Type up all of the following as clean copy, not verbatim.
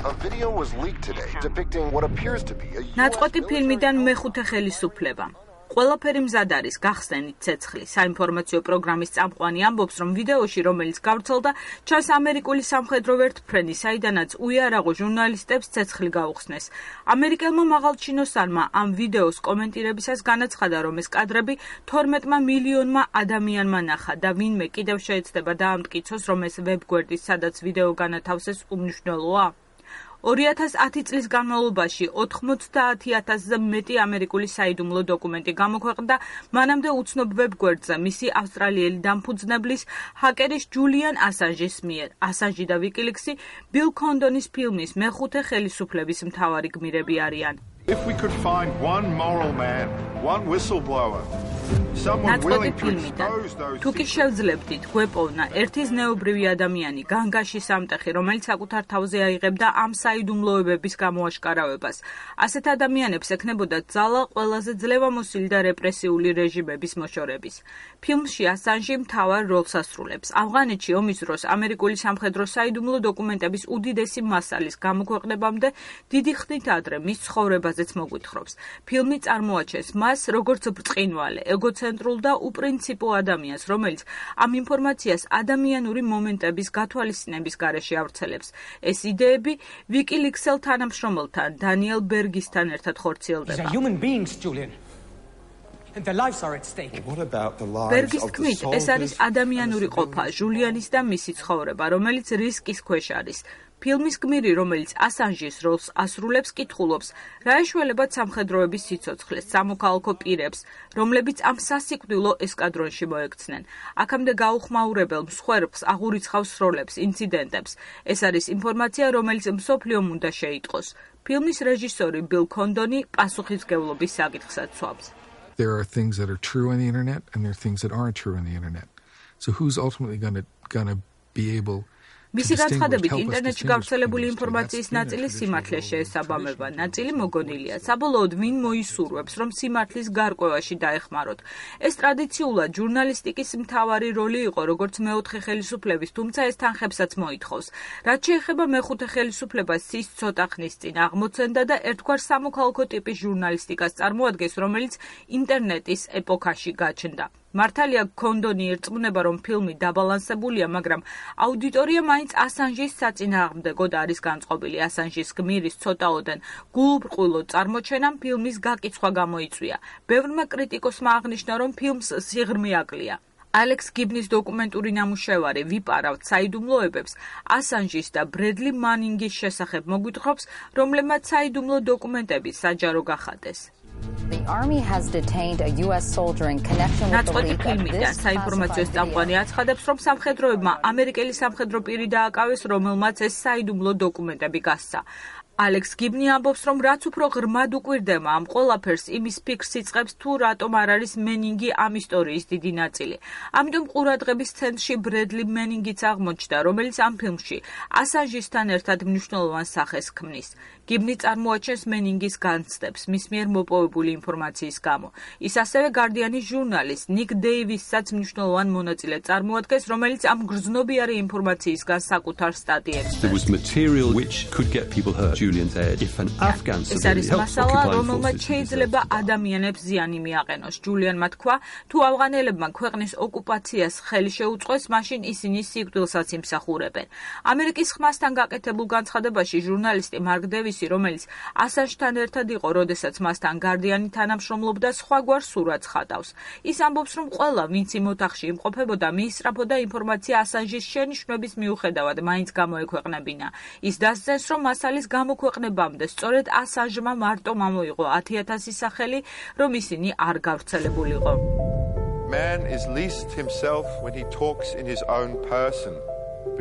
A video was leaked today depicting what appears to be a ნაწყვეტი ფილმიდან მეხუთე ხელისუფლება. ყველაფერი მზად არის გახსნენით ცეცხლი. საინფორმაციო პროგრამის წამყვანი ამბობს, რომ ვიდეოში, რომელიც გავრცელდა, ჩანს ამერიკული სამხედრო ვერტმფრენი, საიდანაც უიარაღო ჟურნალისტებს ცეცხლი გაუხსნეს. ამერიკელმა მაღალჩინოსანმა ამ ვიდეოს კომენტირებისას განაცხადა, რომ ეს კადრები 12 მილიონმა ადამიანმა ნახა და ვინმე კიდევ შეეცდება დაამტკიცოს, რომ ეს ვებგვერდი, სადაც ვიდეო განათავსეს, უმნიშვნელოა. 2010 წლის განმავლობაში 90,000-ზე მეტი ამერიკული საიდუმლო დოკუმენტი გამოქვეყნდა მანამდე უცნობ ვებგვერდზე მისი ავსტრალიელი დამფუძნებლის ჰაკერის ჯულიან ასანჟის მიერ. ასანჟი და ვიკილիქსი ბილ კონდონის ფილმის მეხუთე ხელისუფლების მთავარი გმირები არიან. If we could find one moral man, one whistleblower, someone willing to expose those თუ კი შევძლებდით გვეპოვნა ერთი ზნეობრივი ადამიანი განგაში სამტეხი, რომელიც საკუთარ თავზე აიღებდა ამ საიდუმლოებების გამოაშკარავებას. ასეთ ადამიანებს ექნებოდა ძალა ყველაზე ძლევამოსილი და რეპრესიული რეჟიმების მოშორების. ფილმში ასანჟი მთავარ როლს ასრულებს. ავღანეთში ომის დროს ამერიკული სამხედრო საიდუმლო დოკუმენტების უდიდესი მასალის გამოქვეყნებამდე დიდი ხნით ადრე მის ცხოვრებაზეც მოგვითხრობს. ფილმი წარმოაჩენს მას როგორც ბრწყინვალე, ეგოცენტრულ და უპრინციპო ადამიანს, რომელიც ამ ინფორმაციას ადამიანური მომენტების გათვალისწინების გარეშე ავრცელებს. ეს იდეები ვიკილիქსელ თანამშრომელთან დანიელ ბერგისთან ერთად ხორციელდება. ბერგის თქმით, ეს არის ადამიანური ყოფა, ჟულიანის და მისი ცხოვრება, რომელიც რისკის ქვეშ არის. ფილმის გმირი, რომელიც ასანჟის როლს ასრულებს, კითხულობს, რა ეშველებათ სამხედროების სიცოცხლეს, სამოქალაქო პირებს, რომლებიც ამ სასიკვდილო ესკადრონში მოექცნენ. აქამდე გაუხმაურებელ მსხვერპლს აღურიცხავს როლებს, ინციდენტებს. ეს არის ინფორმაცია, რომელიც მსოფლიომ უნდა შეიტყოს. ფილმის რეჟისორი ბილ კონდონი პასუხისმგებლობის საკითხსაც სვამს. There are things that are true on the internet and there are things that aren't true on the internet. So who's ultimately going to be able მისი განცხადებით, ინტერნეტში გავრცელებული ინფორმაციის ნაწილი სიმართლეს შეესაბამება, ნაწილი მოგონილია. საბოლოოდ ვინ მოისურვებს, რომ სიმართლის გარკვევაში დაეხმაროთ. ეს ტრადიციულად ჟურნალისტიკის მთავარი როლი იყო, როგორც მეოთხე ხელისუფლების, თუმცა ეს თანხებსაც მოითხოვს. რაც შეეხება მეხუთე ხელისუფლებას, ის ცოტა ხნის წინ აღმოცენდა და ერთგვარ სამოქალაქო ტიპის ჟურნალისტიკას წარმოადგენს, რომელიც ინტერნეტის ეპოქაში გაჩნდა. მართალია კონდონი ერწმუნება, რომ ფილმი დაბალანსებულია, მაგრამ აუდიტორია მაინც ასანჟის საწინააღმდეგოდ არის განწყობილი. ასანჟის გმირის ცოტაოდენ გულუბრყვილო წარმოჩენამ ფილმის გაკიცხვა გამოიწვია. ბევრმა კრიტიკოსმა აღნიშნა, რომ ფილმს სიღრმე აკლია. ალექს გიბნის დოკუმენტური ნამუშევარი ვიპარავთ საიდუმლოებებს ასანჟის და ბრედლი მანინგის შესახებ მოგვითხრობს, რომლებმაც საიდუმლო დოკუმენტები საჯარო გახადეს. The army has detained a US soldier in connection with the leak of this საინფორმაციო წამყვანი აცხადებს, რომ სამხედროებმა ამერიკელი სამხედრო პირი დააკავეს, რომელმაც ეს საიდუმლო დოკუმენტები გასცა. ალექს გიბნი ამბობს, რომ რაც უფრო ღრმად უკვირდება ამ ყველაფერს, იმის ფიქრს იწყებს თუ რატომ არ არის მენინგი ამ ისტორიის დიდი ნაწილი. ამიტომ ყურადღების ცენტრში ბრედლი მენინგიც აღმოჩნდა, რომელიც ამ ფილმში ასანჟისთან ერთად მნიშვნელოვან სახეს ქმნის. გიბნი წარმოაჩენს მენინგის განცდებს მის მიერ მოპოვებული ინფორმაციის გამო. ის ასევე გარდიანის ჟურნალის ნიკ დეივისსაც მნიშვნელოვან მონაწილედ წარმოადგენს, რომელიც ამ გრძნობიარე ინფორმაციისგან საკუთარ სტატიებს. ეს არის მასალა, რომელმაც შეიძლება ადამიანებს ზიანი მიაყენოს. ჯულიანმა თქვა, თუ ავღანელებმა ქვეყნის ოკუპაციას ხელი შეუწყოს, მაშინ ისინი სიკვდილსაც იმსახურებენ. ამერიკის ხმასთან გაკეთებულ განცხადებაში ჟურნალისტი მარკ დევისი, რომელიც ასანჟთან ერთად იყო, როდესაც მასთან გარდიანი თანამშრომლობდა, სხვაგვარ სურათს ხატავს. ის ამბობს, რომ ყველა, ვინც იმ ოთახში იმყოფებოდა, მიისწრაფოდა ინფორმაცია ასანჟის შენიშვნების მიუხედავად, მაინც გამოექვეყნებინა. ის დასძენს, რომ მასალის გამოქვეყნებამდე სწორედ ასანჟმა მარტო ამოიღო 10,000 სახელი, რომ ისინი არ გავრცელებულიყო. Man is least himself when he talks in his own person.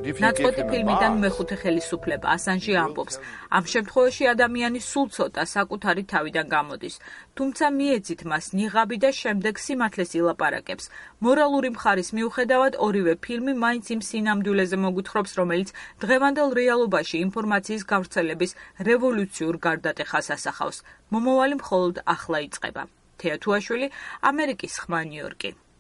ნაწყვეტი ფილმიდან მეხუთე ხელისუფლება ასანჟი ამბობს, ამ შემთხვევაში ადამიანი სულ ცოტა საკუთარი თავიდან გამოდის, თუმცა მიეცით მას ნიღაბი და შემდეგ სიმართლეს ილაპარაკებს. მორალური მხარის მიუხედავად ორივე ფილმი მაინც იმ სინამდვილეზე მოგვითხრობს, რომელიც დღევანდელ რეალობაში ინფორმაციის გავრცელების რევოლუციურ გარდატეხას ასახავს. მომავალი მხოლოდ ახლა იწყება. თეა თუაშვილი, ამერიკის ხმა, ნიუ-იორკი.